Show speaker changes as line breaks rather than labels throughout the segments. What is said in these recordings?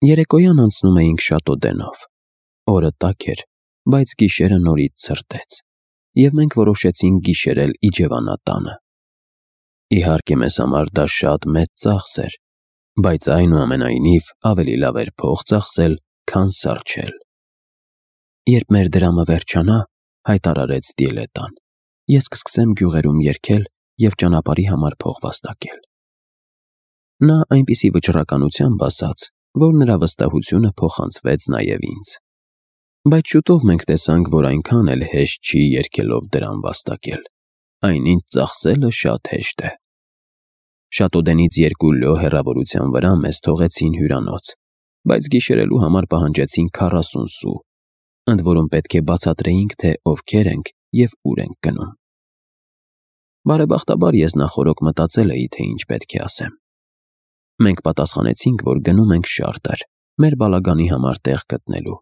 Երեկոյան անցնում էինք Շատոդենով։ Օրը տաք էր, բայց գիշերը նորից ցրտեց, և մենք որոշեցինք գիշերել Իջևանատանը։ Իհարկե մեզ համար դա շատ մեծ ծախս էր, բայց այնուամենայնիվ ավելի լավ էր փող ծախսել, քան սառչել։ Երբ մեր դրամը վերջանա, հայտարարեց Դիելետան, ես կսկսեմ գյուղերում երգել և ճանապարհի համար փող վաստակել։ Նա այնպիսի վճռականությամբ ասաց, որ նրա վստահությունը փոխանցվեց նաև ինձ։ Բայց շուտով մենք տեսանք, որ այնքան էլ հեշտ չի երգելով դրամ վաստակել։ Այնինչ ծախսելը շատ հեշտ է։ Շատոդենից 2 լյո հեռավորության վրա մեզ թողեցին հյուրանոց, բայց գիշերելու համար պահանջեցին 40 սու, ընդ որում պետք է բացատրեինք, թե ովքեր ենք և ուր ենք գնում։ Բարեբախտաբար ես նախօրոք մտածել էի, թե ինչ պետք է ասեմ։ Մենք պատասխանեցինք, որ գնում ենք Շարտեր, մեր բալագանի համար տեղ գտնելու,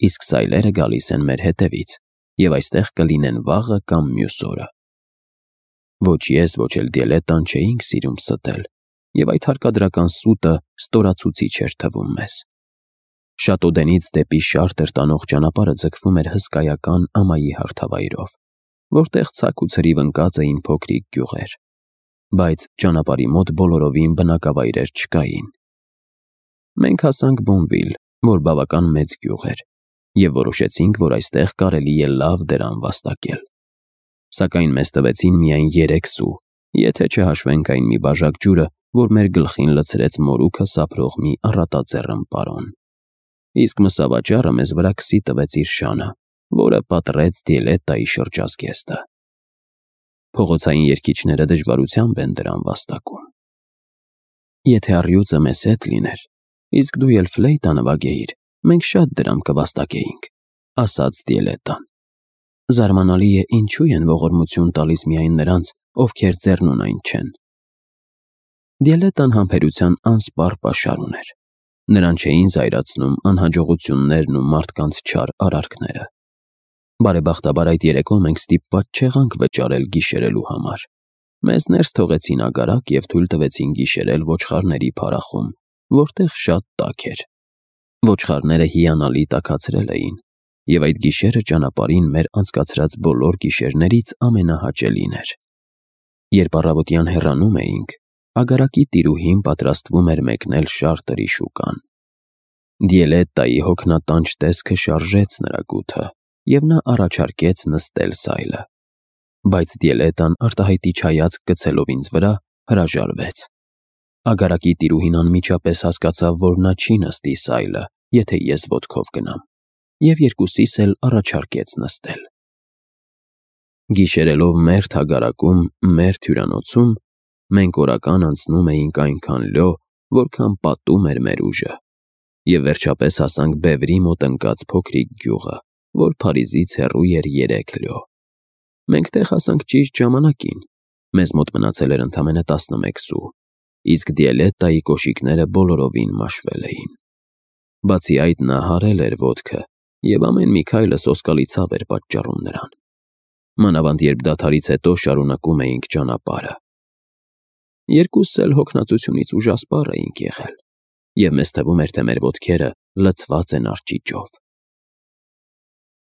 իսկ սայլերը գալիս են մեր հետևից, և այստեղ կլինեն վաղը կամ մյուս օրը։ Ոչ ես, ոչ էլ Դիելետան չէինք սիրում ստել, և այդ հարկադրական սուտը ստորացուցիչ էր թվում մեզ։ Շատոդենից դեպի Շարտեր տանող ճանապարհը ձգվում էր հսկայական ամայի հարթավայրով, որտեղ ցակ ու ցրիվ ընկած էին փոքրիկ գյուղեր, բայց ճանապարհի մոտ բոլորովին բնակավայրեր չկային։ Մենք հասանք Բոնվիլ, որ բավական մեծ գյուղ էր, և որոշեցինք, որ այստեղ կարելի է լավ դրամ վաստակել։ Սակայն մեզ տվեցին միայն 3 սու, եթե չհաշվենք այն մի բաժակ ջուրը, որ մեր գլխին լցրեց մորուքը սափրող մի առատաձեռն պարոն։ Իսկ մսավաճառը մեզ վրա քսի տվեց իր շանը, որը պատռեց Դիելետայի շրջազգեստը։ Փողոցային երգիչները դժվարությամբ են դրամ վաստակում։ Եթե առյուծը մեզ հետ լիներ, իսկ դու էլ ֆլեյտա նվագեիր, մենք շատ դրամ կվաստակեինք, ասաց Դիելետան։ Զարմանալի է, ինչու են ողորմություն տալիս միայն նրանց, ովքեր ձեռնունայն չեն։ Դիելետան համբերության անսպառ պաշար ուներ։ Նրան չէին զայրացնում անհաջողություններն ու մարդկանց չար արարքները։ Բարեբախտաբար այդ երեկո մենք ստիպված չեղանք վճարել գիշերելու համար։ Մեզ ներս թողեցին ագարակ և թույլ տվեցին գիշերել ոչխարների փարախում, որտեղ շատ տաք էր։ Ոչխարները հիանալի տաքացրել էին, և այդ գիշերը ճանապարհին մեր անցկացրած բոլոր գիշերներից ամենահաճելին էր։ Երբ առավոտյան հեռանում էինք, ագարակի տիրուհին պատրաստվում էր մեկնել Շարտերի շուկան։ Դիելետայի հոգնատանջ տեսքը շարժեց նրա գութը, և նա առաջարկեց նստել սայլը։ Բայց Դիելետան արտահայտիչ հայացք գցելով ինձ վրա, հրաժարվեց։ Ագարակի տիրուհին անմիջապես հասկացավ, որ նա չի նստի սայլը, եթե ես ոտքով գնամ, և երկուսիս էլ առաջարկեց նստել։ Գիշերելով մերթ ագարակում, մերթ հյուրանոցում, մենք օրական անցնում էինք այնքան լյո, որքան պատում էր մեր ուժը, և վերջապես հասանք բևրի մոտ ընկած փոքրիկ գյուղը, որ Փարիզից հեռու էր 3 լյո։ Մենք տեղ հասանք ճիշտ ժամանակին, մեզ մոտ մնացել էր ընդամենը 11 սու, իսկ Դիելետայի կոշիկները բոլորովին մաշվել էին։ Բացի այդ, նա հարել էր ոտքը, և ամեն մի քայլը սոսկալի ցավ էր պատճառում նրան։ Մանավանդ երբ դադարից հետո շարունակում էինք ճանապարհը։ Երկուսս էլ հոգնածությունից ուժասպառ էինք եղել, և մեզ թվում էր, թե մեր ոտքերը լցված են արճիճով։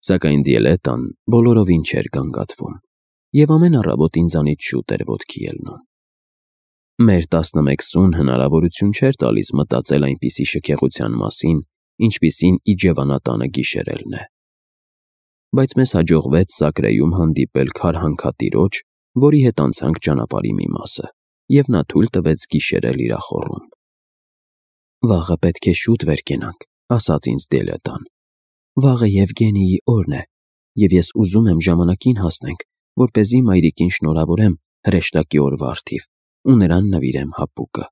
Սակայն Դիելետան բոլորովին չէր գանգատվում, և ամեն առավոտ ինձանից շուտ էր ոտքի ելնում։ Մեր 11 սուն հնարավորություն չէր տալիս մտածել այնպիսի շքեղության մասին, ինչպիսին Իջևանատանը գիշերելն է։ Բայց մեզ հաջողվեց Սակրեյում հանդիպել քարհանքատիրոջ, որի հետ անցանք ճանապարհի մի մասը, և նա թույլ տվեց գիշերել իր ախոռում։ Վաղը պետք է շուտ վեր կենանք, ասաց ինձ Դիելետան։ Վաղը Եվգենիի օրն է, և ես ուզում եմ ժամանակին հասնենք, որպեսզի մայրիկին շնորհավորեմ հրեշտակի օրվա առթիվ ու նրան նվիրեմ հապուկը։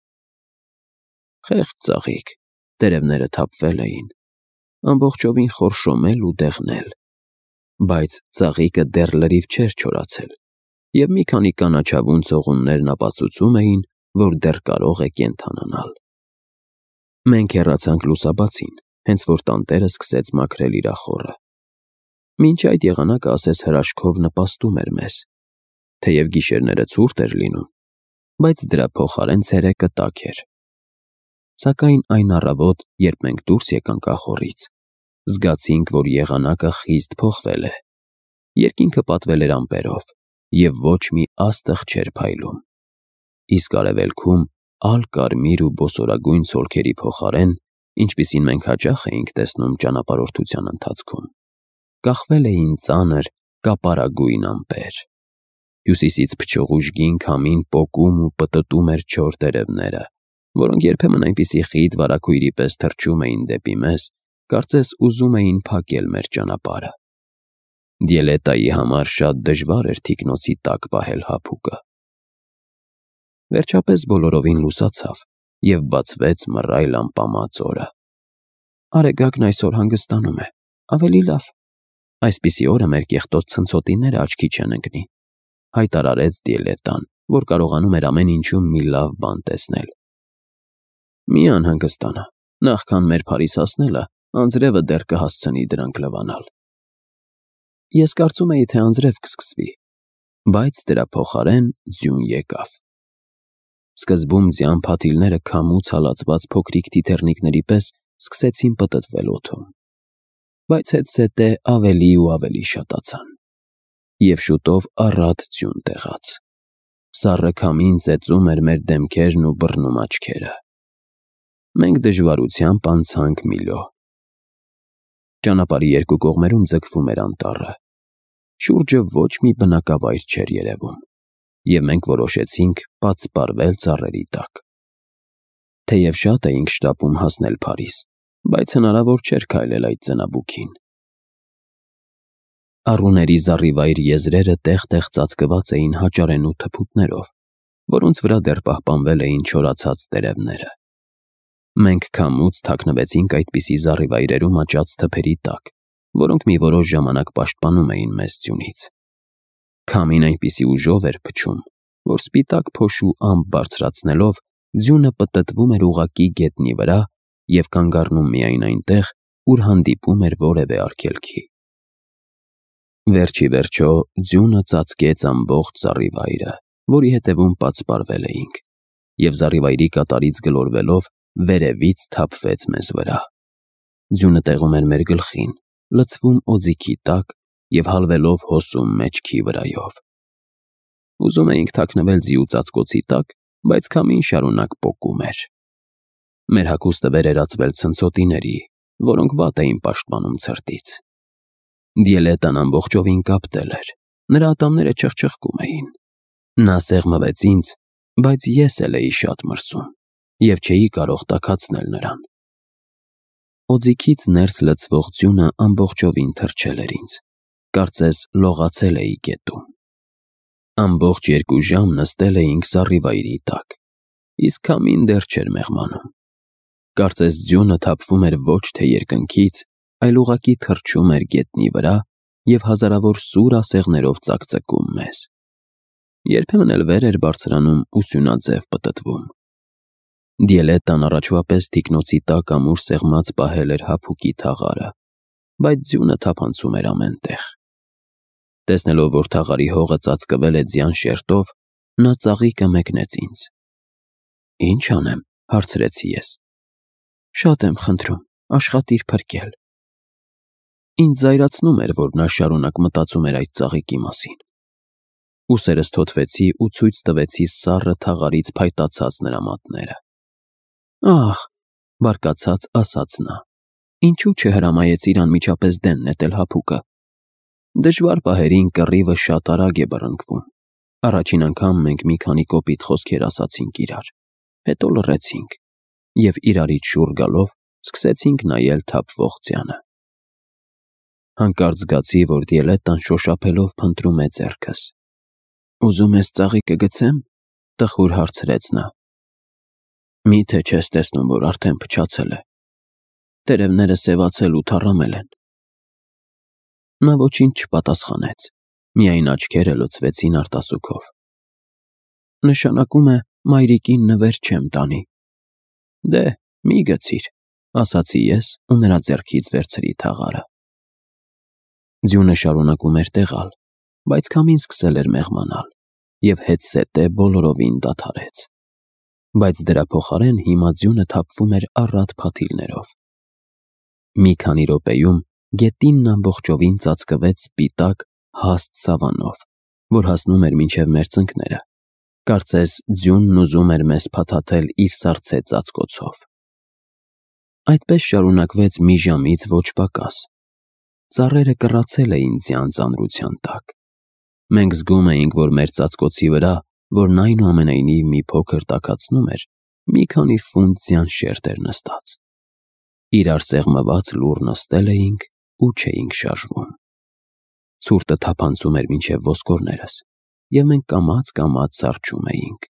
Խեղճ ծաղիկ, տերևները թափվել էին, ամբողջովին խորշոմել ու դեղնել, բայց ծաղիկը դեռ լրիվ չէր չորացել, և մի քանի կանաչավուն ցողուններն ապացուցում էին, որ դեռ կարող է կենդանանալ։ Մենք հեռացանք լուսաբացին, հենց որ տանտերը սկսեց մաքրել իր ախոռը։ Մինչ այդ եղանակը ասես հրաշքով նպաստում էր մեզ, թեև գիշերները ցուրտ էր լինում, բայց դրա փոխարեն ցերեկը տաք էր։ Սակայն այն առավոտ, երբ մենք դուրս եկանք ախոռից, զգացինք, որ եղանակը խիստ փոխվել է։ Երկինքը պատվել էր ամպերով, և ոչ մի աստղ չէր փայլում։ Իսկ արևելքում ալ-կարմիր ու բոսորագույն ցոլքերի փոխարեն, ինչպիսին մենք հաճախ էինք տեսնում ճանապարհորդության ընթացքում, կախվել էին ծանր կապարագույն ամպեր։ Հյուսիսից փչող ուժգին քամին պոկում ու պտտում էր չոր տերևները, որոնք երբեմն այնպիսի խիտ վարագույրի պես թռչում էին դեպի մեզ, կարծես ուզում էին փակել մեր ճանապարհը։ Դիելետայի համար շատ դժվար էր թիկնոցի տակ պահել հափուկը։ Վերջապես բոլորովին լուսացավ, և բացվեց մռայլ ամպամած օրը։ «Արեգակն այսօր հանգստանում է, ավելի լավ։ Այսպիսի օրը մեր կեղտոտ ցնցոտիները աչքի չեն ընկնի», հայտարարեց Դիելետան, որ կարողանում էր ամեն ինչում մի լավ բան տեսնել։ «Մի անհանգստանա, նախքան մեր Փարիզ հասնելը, անձրևը դեռ կհասցնի դրանք լվանալ»։ Ես կարծում էի, թե անձրև կսկսվի, բայց դրա փոխարեն ձյուն եկավ։ Սկզբում ձյան փաթիլները քամուց հալածված փոքրիկ թիթեռնիկների պես սկսեցին պտտվել օդում, բայց հետզհետե ավելի ու ավելի շատացան, և շուտով առատ ձյուն տեղաց։ Սառը քամին ծեծում էր մեր դեմքերն ու բռնում աչքերը։ Մենք դժվարությամբ անցանք Միլո։ Ճանապարհի երկու կողմերում ձգվում էր անտառը։ Շուրջը ոչ մի բնակավայր չէր երևում, և մենք որոշեցինք պատսպարվել ծառերի տակ։ Թեև շատ էինք շտապում հասնել Փարիզ, բայց հնարավոր չէր քայլել այդ ձնաբուքին։ Առուների զառիվայր եզրերը տեղ-տեղ ծածկված էին հաճարենու թփուտներով, որոնց վրա դեռ պահպանվել էին չորացած տերևները։ Մենք քամուց թաքնվեցինք այդպիսի զառիվայրերում աճած թփերի տակ, որոնք մի որոշ ժամանակ պաշտպանում էին մեզ ձյունից։ Քամին այնպիսի ուժով էր փչում, որ սպիտակ փոշու ամպ բարձրացնելով, ձյունը պտտվում էր ուղղակի գետնի վրա և կանգ առնում միայն այնտեղ, ուր հանդիպում էր որևէ արգելքի։ Վերջ ի վերջո ձյունը ծածկեց ամբողջ զառիվայրը, որի հետևում պատսպարվել էինք, և զառիվայրի կատարից գլորվելով վերևից թափվեց մեզ վրա։ Ձյունը տեղում էր մեր գլխին, լցվում օձիքի տակ և հալվելով հոսում մեջքի վրայով։ Ուզում էինք թաքնվել ձիու ծածկոցի տակ, բայց քամին շարունակ պոկում էր։ Մեր հագուստը վերերացվել ցնցոտիների, որոնք վատ էին պաշտպանում ցրտից։ Դիելետան ամբողջովին կապտել էր, նրա ատամները չխչխկում էին։ Նա սեղմվեց ինձ, բայց ես էլ էի շատ մրսում և չէի կարող տաքացնել նրան։ Օձիքից ներս լցվող ձյունը ամբողջովին թրջել էր ինձ, կարծես լողացել էի գետում։ Ամբողջ 2 ժամ նստել էինք զառիվայրի տակ, իսկ քամին դեռ չէր մեղմանում։ Կարծես ձյունը թափվում էր ոչ թե երկնքից, այլ ուղղակի թռչում էր գետնի վրա և հազարավոր սուր ասեղներով ծակծկում մեզ։ Երբեմն էլ վեր էր բարձրանում ու սյունաձև պտտվում։ Դիելետան առաջվա պես թիկնոցի տակ ամուր սեղմած պահել էր հափուկի թաղարը, բայց ձյունը թափանցում էր ամեն տեղ։ Տեսնելով, որ թաղարի հողը ծածկվել է ձյան շերտով, նա ծաղիկը մեկնեց ինձ։ «Ինչ անեմ», հարցրեցի ես։ «Շատ եմ խնդրում, աշխատիր փրկել»։ Ինձ զայրացնում էր, որ նա շարունակ մտածում էր այդ ծաղիկի մասին։ Ուսերս թոթվեցի ու ցույց տվեցի սառը թաղարից փայտացած նրա մատները։ «Ախ», բարկացած ասաց նա, «ինչու չհրամայեցիր անմիջապես դեն նետել հափուկը։ Դժվար պահերին կռիվը շատ արագ է բռնկվում։ Առաջին անգամ մենք մի քանի կոպիտ խոսքեր ասացինք իրար, հետո լռեցինք և իրարից շուռ գալով սկսեցինք նայել թափվող ձյանը»։ Հանկարծ զգացի, որ Դիելետան շոշափելով փնտրում է ձեռքս։ «Ուզում ես ծաղիկը գցեմ»։ տխուր հարցրեց նա։ «Մի՞թե չես տեսնում, որ արդեն փչացել է։ Տերևները սևացել ու թառամել են»։ Նա ոչինչ չպատասխանեց, միայն աչքերը լցվեցին արտասուքով։ «Նշանակում է մայրիկին նվեր չեմ տանի»։ «Դե, մի գցիր», ասացի ես ու նրա ձեռքից վերցրի թաղարը։ Ձյունը շարունակում էր տեղալ, բայց քամին սկսել էր մեղմանալ և հետզհետե բոլորովին դադարեց։ բայց դրա փոխարեն հիմա ձյունը թափվում էր առատ փաթիլներով։ Մի քանի րոպեում գետինն ամբողջովին ծածկվեց սպիտակ, հաստ սավանով, որ հասնում էր մինչև մեր ծնկները։ Կարծես ձյունն ուզում էր մեզ փաթաթել իր սառցե ծածկոցով։ Այդպես շարունակվեց մի ժամից ոչ պակաս։ Ծառերը կռացել էին ձյան ծանրության տակ։ Մենք զգում էինք, որ մեր ծածկոցի վրա, որն այնուամենայնիվ մի փոքր տաքացնում էր, մի քանի ֆունտ ձյան շերտ էր նստած։ Իրար սեղմված լուռ նստել էինք ու չէինք շարժվում։ Ցուրտը թափանցում էր մինչև ոսկորներս, և մենք կամաց-կամաց զառչում էինք,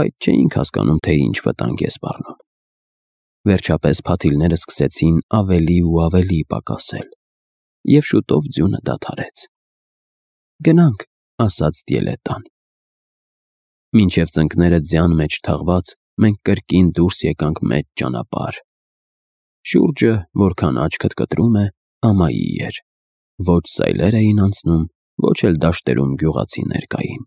բայց չէինք հասկանում, թե ինչ վտանգ է սպառնում։ Վերջապես փաթիլները սկսեցին ավելի ու ավելի պակասել, և շուտով ձյունը դադարեց։ «Գնանք», ասաց Դիելետան։ Մինչև ծնկները ձյան մեջ թաղված, մենք կրկին դուրս եկանք մեծ ճանապարհ։ Շուրջը, որքան աչքդ կտրում է, ամայի էր։ Ոչ սայլեր էին անցնում, ոչ էլ դաշտերում գյուղացիներ կային։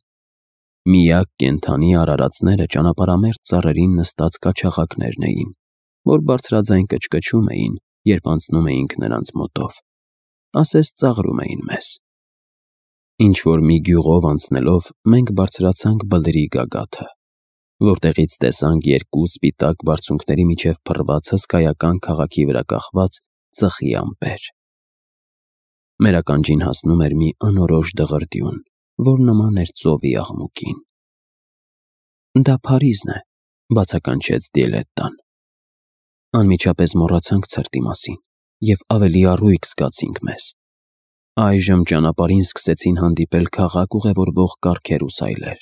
Միակ կենդանի արարածները ճանապարհամերձ ծառերին նստած կաչաղակներն էին, որ բարձրաձայն կչկչում էին, երբ անցնում էինք նրանց մոտով, ասես ծաղրում էին մեզ։ Ինչ-որ մի գյուղով անցնելով մենք բարձրացանք բլրի գագաթը, որտեղից տեսանք երկու սպիտակ բարձունքների միջև փռված հսկայական քաղաքի վրա կախված ծխի ամպեր։ Մեր ականջին հասնում էր մի անորոշ դղրդյուն, որ նման էր ծովի աղմուկին։ «Դա Փարիզն է», բացականչեց Դիելետան։ Անմիջապես մոռացանք ցրտի մասին և ավելի առույգ զգացինք մեզ։ Այժմ ճանապարհին սկսեցին հանդիպել քաղաք ուղևորվող կառքեր ու սայլեր։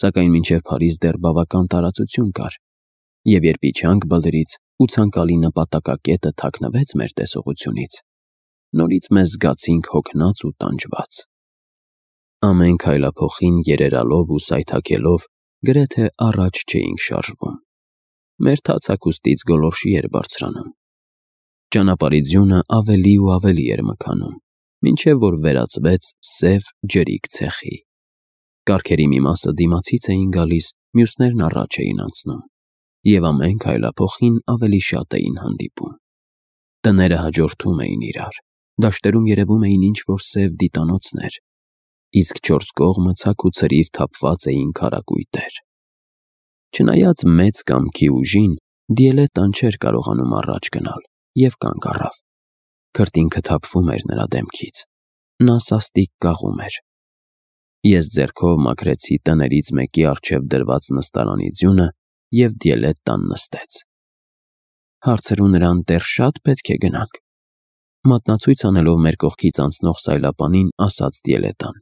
Սակայն մինչև Փարիզ դեռ բավական տարածություն կար, և երբ իջանք բլրից ու ցանկալի նպատակակետը թաքնվեց մեր տեսողությունից, նորից մեզ զգացինք հոգնած ու տանջված։ Ամեն քայլափոխին երերալով ու սայթաքելով գրեթե առաջ չէինք շարժվում։ Մեր թաց հագուստից գոլորշի էր բարձրանում։ Ճանապարհի ձյունը ավելի ու ավելի էր մքանում, մինչև որ վերածվեց սև ջրիկ ցեխի։ Կառքերի մի մասը դիմացից էին գալիս, մյուսներն առաջ էին անցնում, և ամեն քայլափոխին ավելի շատ էին հանդիպում։ Տները հաջորդում էին իրար, դաշտերում երևում էին ինչ-որ սև դիտանոցներ, իսկ չորս կողմը ցակ ու ցրիվ թափված էին քարակույտեր։ Չնայած մեծ կամքի ուժին, Դիելետան չէր կարողանում առաջ գնալ և կանգ առավ։ Քրտինքը թափվում էր նրա դեմքից։ Նա սաստիկ կաղում էր։ Ես ձեռքով մաքրեցի տներից մեկի առջև դրված նստարանի ձյունը, և Դիելետան նստեց։ «Հարցրու նրան, դեռ շատ պետք է գնանք», մատնացույց անելով մեր կողքից անցնող սայլապանին, ասաց Դիելետան։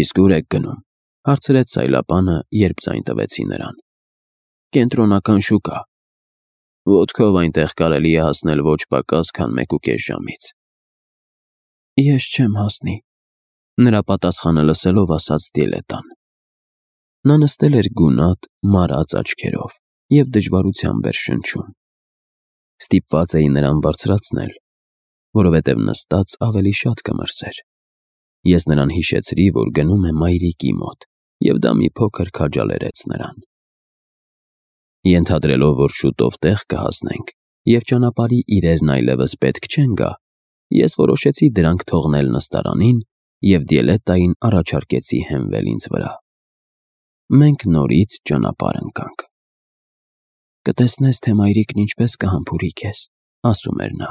«Իսկ ուր եք գնում», հարցրեց սայլապանը, երբ ձայն տվեցի նրան։ «Կենտրոնական շուկա։ Ոտքով այնտեղ կարելի է հասնել ոչ պակաս, քան 1.5 ժամից»։ «Ես չեմ հասնի», նրա պատասխանը լսելով ասաց Դիելետան։ Նա նստել էր գունատ, մարած աչքերով և դժվարությամբ էր շնչում։ Ստիպված էի նրան բարձրացնել, որովհետև նստած ավելի շատ կմրսեր։ Ես նրան հիշեցրի, որ գնում է մայրիկի մոտ, և դա մի փոքր քաջալերեց նրան։ Ենթադրելով, որ շուտով տեղ կհասնենք, և ճանապարհի իրերն այլևս պետք չեն գա, ես որոշեցի դրանք թողնել նստարանին և Դիելետային առաջարկեցի հենվել ինձ վրա։ Մենք նորից ճանապարհ ընկանք։ «Կտեսնես, թե մայրիկն ինչպես կհամբուրի քեզ», ասում էր նա։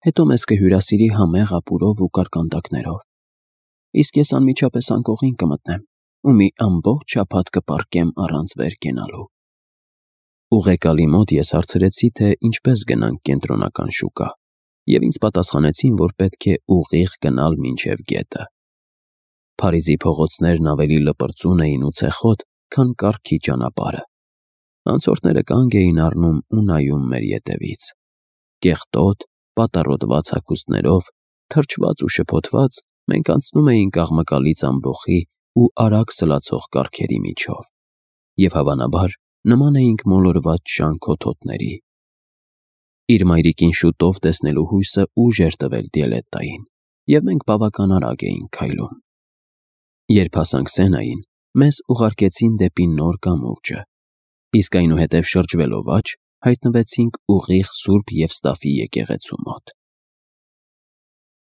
«Հետո մեզ կհյուրասիրի համեղ ապուրով ու կարկանդակներով, իսկ ես անմիջապես անկողին կմտնեմ ու մի ամբողջ շաբաթ կպառկեմ առանց վեր կենալու»։ Ուղեկալի մոտ ես հարցրեցի, թե ինչպես գնանք կենտրոնական շուկա, և ինձ պատասխանեցին, որ պետք է ուղիղ գնալ մինչև գետը։ Փարիզի փողոցներն ավելի լպրծուն էին ու ցեխոտ, քան կառքի ճանապարհը։ Անցորդները կանգ էին առնում ու նայում մեր ետևից։ Կեղտոտ, պատառոտված հագուստներով, թրջված ու շփոթված, մենք անցնում էինք աղմկալից ամբոխի ու արագ սլացող կառքերի միջով, և հավանաբար նման էինք մոլորված շան քոթոտների։ Իր մայրիկին շուտով տեսնելու հույսը ուժ էր տվել Դիելետային, և մենք բավական արագ էինք քայլում։ Երբ հասանք Սենային, մեզ ուղարկեցին դեպի նոր կամուրջը, Իսկ այնուհետև շրջվելով աջ, հայտնվեցինք ուղիղ Սուրբ Եվստաֆի եկեղեցու մոտ։